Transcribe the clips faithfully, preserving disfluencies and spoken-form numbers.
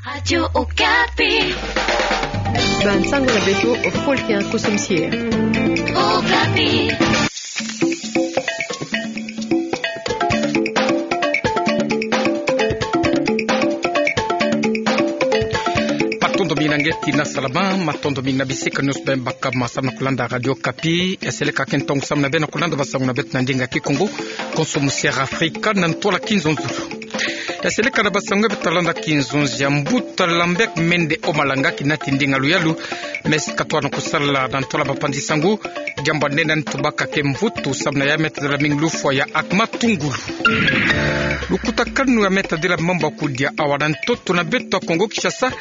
Radio Okapi. Bansango na beto, ofolki ya kosomisier. Okapi. Matondo mingi na nge ti na salama, matondo mingi na bisika nyonso bem baka ma samu na kolanda Radio Okapi. Ya seleka ke ntongo samu na bem na kolanda bansango na beto na ndinga Kikongo, kosomisier Afrika na ntwala Kinzonzolo. Ya seleka na bansango nge beto talanda Kinzonzi ya mbuta Lambert Mende Omalanga kinati ndinga luyalu, me si katwa na kosala na ntwala bapanzi sango, diambu nde nani tubaka ke mvutu samu na ya meta de la mingi lufwa ya Akma Tungulu. Lukutakanu ya meta de la mambu ya kudia awa na ntoto na beto ya Kongo Kinshasa,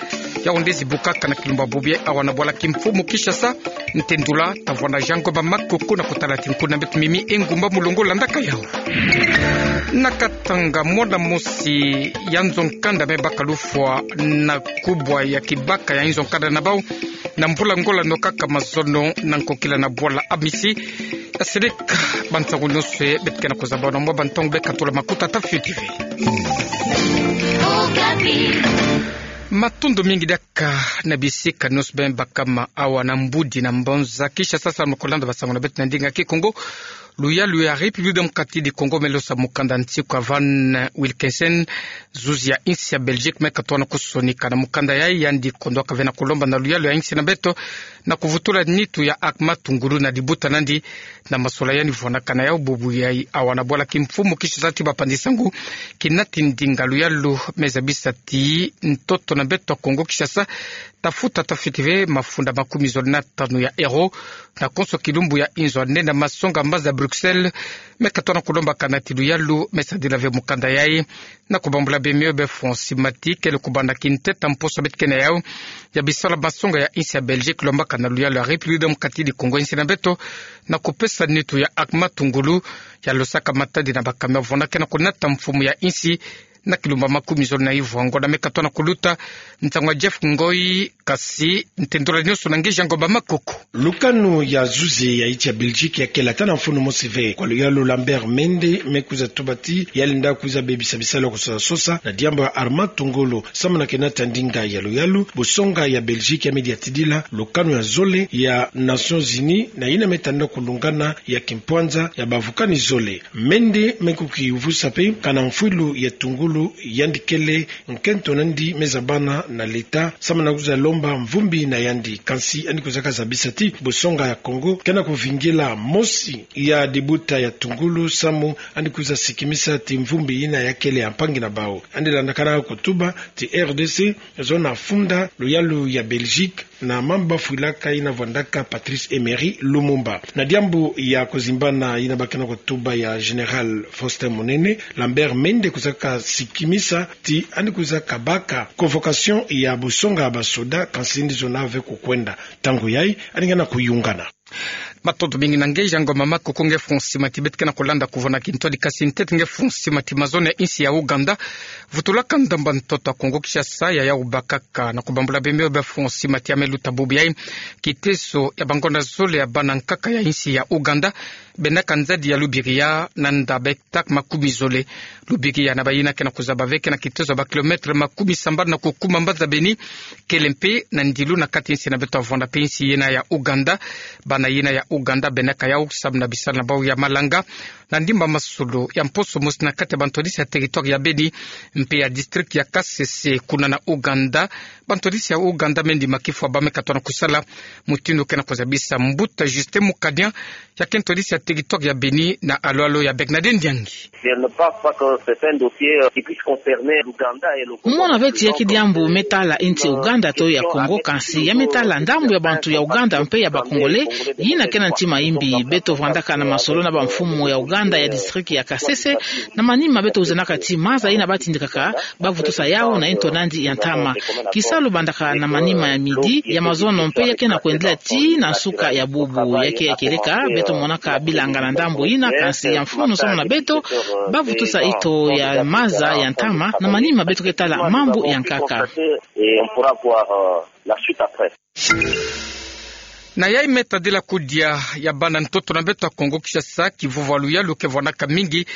yau nde zibukaka na kilumbu bubu yai awa na bwala kimfumu Kinshasa, ntendula, tavwanda Jean Goba Makoko na kotala ti nkuna beto Mimi Engumba Mulongo landaka yau. Na Katanga, mwana mosi ya nzo nkanda me baka lufwa na kubwa ya kibaka ya nzo nkanda na bau, na mvula ngola no kaka mazono na nkokila na bwala Amisi. Ya seleka bansango nyonso beto ke na kozaba na mwa bantongo beka tula makuta ta Fioti ve. Matondo mingi diaka na bisika nyonso bem baka ma awa na mbudi na mbonza Kinshasa samu na kolanda bansango na beto na ndinga Kikongo. Luyalu ya République Démocratique du Congo me losa mukanda nsiku ya Van Wilkinson, zuzi ya insi ya Belgique, me katwa na kosonika na mukanda yai, yandi kondwaka ve na kolomba na luyalu ya insi na beto na kovutula nitu ya Akma Tungulu na dibuta nandi na masola yandi vwanaka na yau bubu yai awa na bwala kimfumu Kinshasa ti bapanzi sango kinati ndinga luyalu, me zabisa ti ntoto na beto ya Kongo Kinshasa tafuta ta Fioti ve mafunda makumi zole na tanu ya euro na konso kilumbu ya inzo ya nde na masonga mbanza Bruxelles. Me katwa na kolomba kana ti luyalu me sadila ve mukanda yai na kobambula bemio be Francis Mati kele kobanda kinteta mposo beto ke na yau ya bisala masonga ya insi ya Belgique lombaka na luyalu ya République Démocratique du Congo insi na beto na kopesa nitu ya Akma Tungulu ya losaka matadi na bakame vwanda ke na konata mfumu ya insi na kilumbu makumi zole na ivwa. Ngonda me katwa na koluta nsango ya Jeff Ngoi, kasi ntendula nyonso na nge Jean Goba Makoko. Lukanu ya zuzi ya insi ya Belgique ya kele ata na mfunu mosi ve kwa luyalu Lambert Mende me kwiza tuba ti ya lenda kwiza bebisa bisalu ya kososa sosa na diambu ya Akma Tungulu samu na kenata ndinga ya luyalu. Bosonga ya Belgique ya me diatidila lukanu ya zole ya Nations Unies na yina me tanda kulungana ya kimpwanza ya bavukani zole. Mende me kukivusa pe kana mfwilu ya tungulu yandi kele nkento nandi me zabana na l'État samu na kwiza lomba mvumbi na yandi, kansi yandi kwizaka zabisa ti bosonga ya Congo ke na kuvingila mosi ya dibuta ya tungulu samu yandi kwiza sikimisa ti mvumbi yina ya kele ya mpangi na bau. Yandi landakana kotuba ti R D C zo na funda luyalu ya Belgique na mamba fwilaka yina vwandaka Patrice Emery Lumumba. Na diambu ya kozimbana yina ba ke na kotuba ya Général Faustin Munene, Lambert Mende kwizaka sikimisa ti yandi kwizaka baka convocation ya bosonga ya basoda, kansi ndizo na ve kukwenda. Ntangu yai yandi ke na kuyungana. Matondo mingi na nge Jean Goba Makoko. Nge Francis Mati, beto ke na kolanda kuvana kintwadi kasi ntete nge Francis Mati, mazono ya insi ya Ouganda vutulaka ndamba ntoto ya Congo Kinshasa ya yau bakaka. Na kobambula bemio be Francis Mati ya me luta bubu yai kiteso ya bangonda zole ya bana nkaka ya insi ya Ouganda bendaka nzadi ya Lubiriha na nda b'hectare makumi zole. Lubiriha na bayina ke na kozaba ve ke na kiteso ya ba kilomètre makumi sambanu na kukuma mbanza Beni, kele mpe na ndilu na kati insi na beto ya vwanda mpe insi yina ya Ouganda. Bana yina ya Ouganda bendaka yau samu na bisalu na bau ya malanga na ndimba masolo ya mposo mosi na kati ya bantwadisi ya territoire ya Beni mpe ya district ya Kasese kuna na Ouganda. Bantwadisi ya Ouganda me ndima kifwa ba me katwa na kosala mutindu ke na kozabisa mbuta Justin Mukadian, ya ke ntwadisi ya territoire ya Beni na alo-alo ya Bernadette Ndiangi. Je ne pense pas que c'est un dossier, euh, qui puisse concerner l'Ouganda et le Congo. Mona ve ti ya ki diambu me tala insi Ouganda to ya Congo, kansi ya me tala ndambu ya bantu ya Ouganda mpe ya ba Congolais yina ke na ntima imbi. Beto vwandaka na masolo na bamfumu ya Ouganda ya district ya Kasese, na manima beto wizanaka ti maza yina ba tindikaka ba vutusa yau na nto nandi ya ntama. Kisalu bandaka na manima ya midi ya mazono mpe ya ke na kwendela tii na nsuka ya bubu. Ya ke ya kieleka, beto monaka bilanga na ndambu yina, kansi ya mfunu samu na beto ba vutusa nto ya maza ya ntama na manima beto ke tala mambu ya nkaka. Et on pourra voir, euh, la suite après. Na yai me tadila kudia ya bana ntoto na beto ya Congo Kinshasa, kivuvu ya luyalu ke vwanaka mingi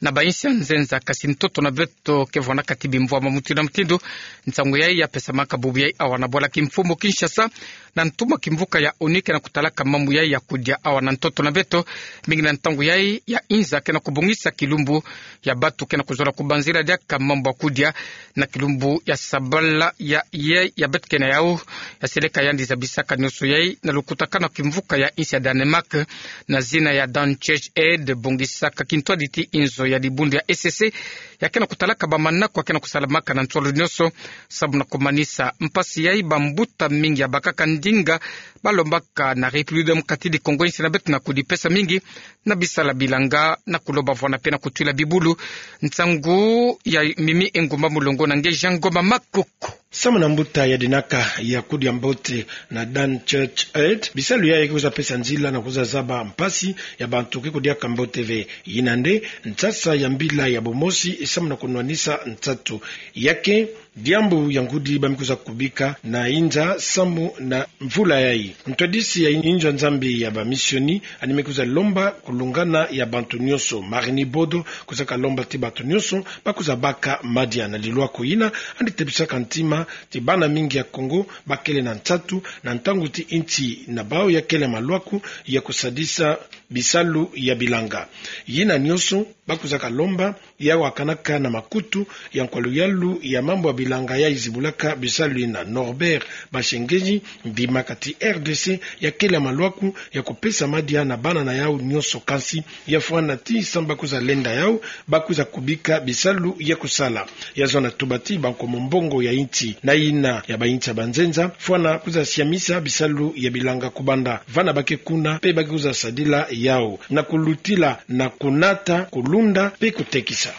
na bainsi ya nzenza, kasi ntoto na beto ke vwandaka ti bimvwama mutindu na mutindu. Nsangu yayi ya pesamaka bubu yayi awa na bwala kimfumu Kinshasa, na ntuma kimvuka ya ONU ke na kutalaka mambu yayi ya kudia awa na ntoto na beto. Mingi na ntangu yayi ya inza ke na kubongisa kilumbu ya bantu ke na kuzola kubanzila diaka mambu ya kudia, na kilumbu ya sabala ya ye ya beto ke na yau, ya seleka yandi zabisaka nioso yayi na lukutakanu ya kimvuka ya insi ya Danemark, na zina ya Dan Church Aid, bongisaka kintwadi ti inzo ya dibundu ya E C C, ya ke na kutalaka bamanako ya ke na kusalamaka na nsolo nioso, samu na kumanisa mpasi yayi. Bambuta mingi ya bakaka ndinga, balombaka na République Démocratique du Congo, insi na beto, na kudipesa mingi na bisala bilanga, na kuloba vwanda mpe na kutwila bibulu. Nsangu ya Mimi Engumba Mulongo na nge Jean Ngoma Makoko. Samu na mbuta ya dinaka ya kudia mbote na Dan Church Aid, bisalu yayi ke kwiza pesa nzila na kwiza zaba mpasi ya bantu ke kudiaka mbote ve. Yina nde nsasa ya mbila ya bomosi, samu na kunwanisa nsatu. Ya ke diambu ya ngudi ba me kwiza kubika na inza samu na mvula yayi. Ntwadisi ya inzo ya Nzambi ya bamisioni, yandi me kwiza lomba kulungana ya bantu nioso. Marie-Ni Bodo kwizaka lomba ti bantu nioso ba kwiza baka madia na lilwaku yina, yandi tebisaka ntima ti bana mingi ya Kongo ba kele na nsatu, na ntangu ti insi na bau ya kele malwaku ya kusadisa bisalu ya bilanga. Yina nioso ba kwizaka lomba, ya wakanaka na makutu ya nkwa luyalu ya mambu ya bilanga yayi zibulaka bisalu yina, Norbert Bashengeyi, ndimaka ti R D C ya kele malwaku ya kupesa madia na bana na yau nioso, kansi ya fwana ti samu ba kwiza lenda yau, ba kwiza kubika bisalu ya kusala. Ya zona tuba ti ba nkomo mbongo ya insi na yina ya bainsi ya banzenza, fwana kwiza siamisa bisalu ya bilanga kubanda vana ba ke kuna, mpe ba ke kwiza sadila yau na kulutila na kunata, kulunda mpe kutekisa.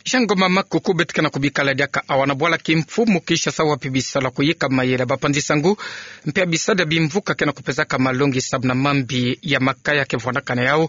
Jean Ngoma Makoko, beto ke na kubikala diaka awa na bwala kimfumu Kinshasa, wapi bisalu ya kuyika mayela, bapanzi-nsangu mpe ya bisadi ya bimvuka ke na kupesaka malongi samu na mambi ya makaya ke vwandaka na yau,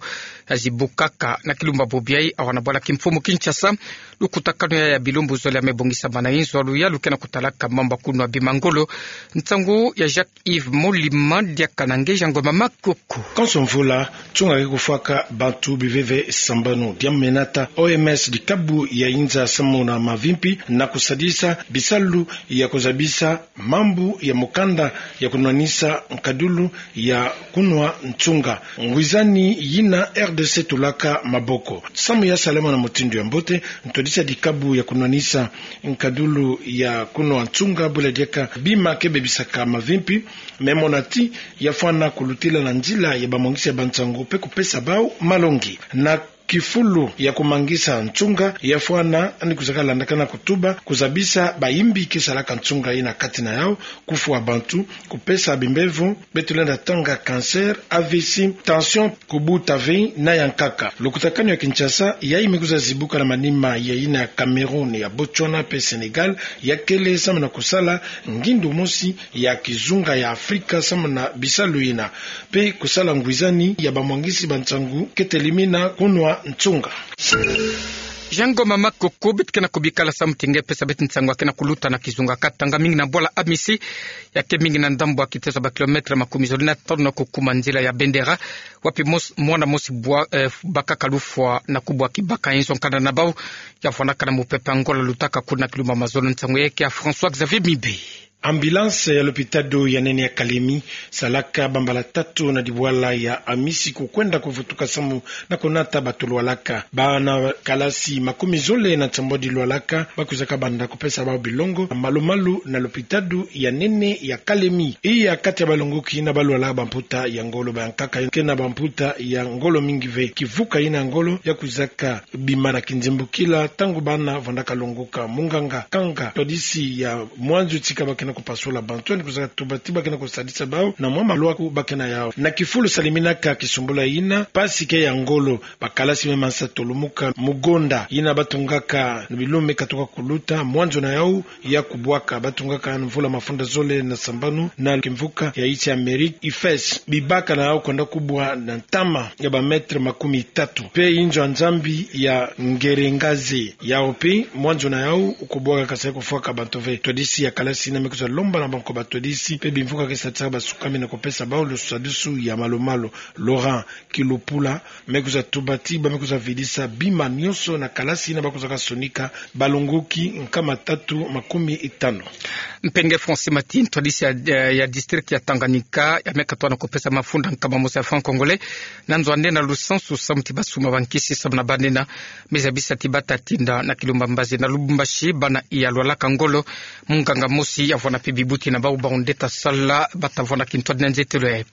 ya zibukaka na kilumbu ya bubu yayi awa na bwala kimfumu Kinshasa. Lukutakanu yayi ya bilumbu zole ya me bongisama na inzo ya luyalu ke na kutalaka mambu ya kunwa bima ngolo. Nsangu ya Jacques Yves Molima diaka na nge Jean Ngoma Makoko. Konso mvula, nsunga ke kufwaka bantu biveve sambanu. Diambu me nata O M S, dikabu ya inza samu na mavimpi, na kusadisa bisalu ya kuzabisa mambu ya mukanda ya kunwanisa nkadulu ya kunwa nsunga. Ngwizani yina R D C tulaka maboko. Samu ya salama na mutindu ya mbote, ntwadisi ya dikabu ya kunwanisa nkadulu ya kunwa nsunga, bula diaka bima ke bebisaka mavimpi, me mona ti ya fwana kulutila na nzila ya bamwangisi ya bansangu mpe kupesa bau malongi. Na kifulu ya kumangisa nsunga, ya fwana, yandi kwizaka landakana kutuba, kuzabisa bayimbi ke salaka nsunga yina kati na yau, kufwa bantu, kupesa bimbevo, beto lenda tanga cancer, A V C, tension, kubuta ve, na ya nkaka. Lukutakanu ya Kinshasa yayi me kwiza zibuka na manima ya yina ya Cameroun, ya Botswana mpe Sénégal, ya kele samu na kusala ngindu mosi ya kizunga ya Afrika samu na bisalu yina, mpe kusala ngwizani ya bamwangisi bansangu ke telimina kunwa nsunga. Jean Ngoma Makoko, beto ke na kubikala samu ti nge pesa beto nsangu ya ke na kuluta na kizunga Katanga, mingi na bwala Amisi, ya ke mingi na ndambu ya kiteso ya ba kilomètre makumi zole na tanu na kukuma nzila ya Bendera, wapi mos-, mwana mosi bwa, eh, bakaka lufwa na kubwa kibaka inzo nkanda na bau, ya fwanaka na mupepe ya Angola, lutaka kuna kilumbu ya mazono. Nsangu yayi ke ya François Xavier Mibe. Ambulance ya lopitalo ya nene ya Kalemi salaka bambala tatu na dibwala ya Amisi kukwenda kuvutuka samu na kunata bato lwalaka. Bana kalasi makumi zole na nsambwadi lwalaka, ba kwizaka banda kupesa bau bilongo malu-malu na lopitalo ya nene ya Kalemi. Iya kati ya balongoki na balwala bamputa ya ngolo, bayankaka ke na bamputa ya ngolo mingi ve. Kivuka yina ya ngolo ya kwizaka bima na kinzimbukila ntangu bana vandaka longoka. Munganga Kanga, ntwadisi ya mwanzu tika ba ke na kupasula bantu, yandi kwizaka tuba ti ba ke na kusadisa bau na mwa malwaku ba ke na yau. Na kifulu saliminaka kisumbula yina, mpasi ke ya ngolo, bakalasi me mansa tolumuka mugonda yina ba tungaka na bilume katuka kuluta, mwanzu na yau ya kubwaka. Ba tungaka na mvula mafunda zole na sambanu na kimvuka ya insi ya Amérique, IFES. Bibaka na yau kwenda kubwa na ntama ya ba mètre makumi tatu. Mpe inzo ya Nzambi ya Ngerengaze, yau mpe mwanzu na yau kubwaka, kasi kufwaka bantu ve. Ntwadisi ya kalasi yina me kwiza lomba na banko batwadisi mpe bimvuka ke satisaka basukami na kupesa bawu lusadusu ya malu-malu. Laurent Kilupula me kwiza tuba ti bamai kwiza vidisa bima nionso na kalasi yina bakwizaka sonika balongoki nkama tatu makumi tano. Mpenge Francis Mati, ntwadisi ya, ya district ya Tanganyika, ya me katoa na kupesa mafunda nkama mosi ya franc congolais na nzo ane na lusansu samu ti basuma bankisi samu na banina. Me zabisa ti bata tinda na kilumba mbazi na Lubumbashi, bana iya lwalaka ngolo, munganga mosi ya vwanda mpe bibuti na bawu bawu nde ta sala bata vwanda kintwadi na nzietelo yayi.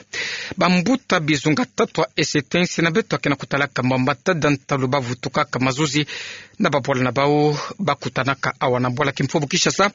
Bambuta bizunga tatu ya Est-Uele nsi na beto ke na kutalaka mwa matada ntalu bavutukaka mazuzi na babwala na bawu bakutanaka awa na bwala kimfumu Kinshasa.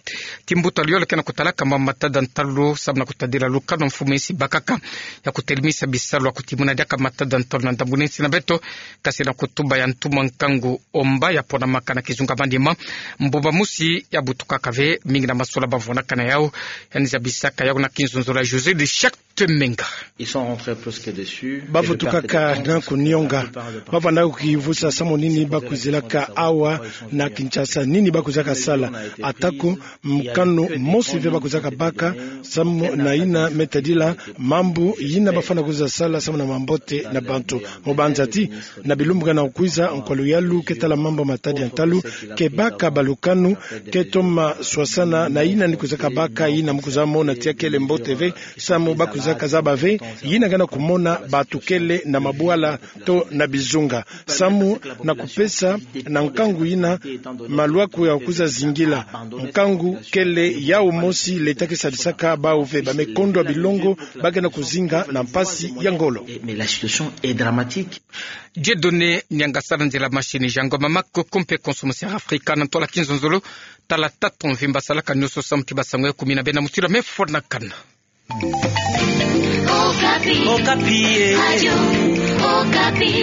Timbuta luyole ke na kutalaka mwa matada ntalu samu na kutadila lukanu mfumu nsi bakaka ya kutelemisa bisalu ya kutimuna diaka matada ntalu na ndambu na nsi na beto, kasi na kutuba ya ntumwa nkangu omba ya ponamaka na kizunga manima. Mbumba mosi ya butukaka ve, mingi na masola bavwanaka na yawu. Yandi zabisaka yawu na kinzonzolo ya José de Charte Menga. Ils sont rentrés plus que dessus. Bavutukaka na kunionga. Bavwanda kukivusa samu nini bakwizilaka awa na Kinshasa, nini bakwizaka sala. Atako mokano mosi ve bakwizaka baka samu na yina me tadila mambu yina bafwana kwiza sala samu na mambote na bantu. Mu banza ti na bilumbu ke na kukwiza, nkwa luyalu ke tala mambu matadi ya ntalu ke baka balukanu ke toma swasana na yina ni kwizaka baka, yina mu kwiza mona ti akele mbote ve, samu bakwizaka zaba ve yina ke na kumona batukele na mabwala to na bizunga, samu na kupesa na nkangu yina malwaku ya kwiza zingila. Nkangu kele yawu mosi, leta ke sadisaka bawu ve, ba me kondwa bilongo, ba ke na kuzinga na mpasi ya ngolo. Mais la situation est dramatique. Dieudonné Niangasa na nzila machine, Jean Ngoma Makoko mpe Consommation Africa na ntwala kinzonzolo. Tala tatu mvimba salaka nionso samu ti basango ya kumi na bena mutila me fwanakana. Okapi. Okapi, eh. Radio Okapi.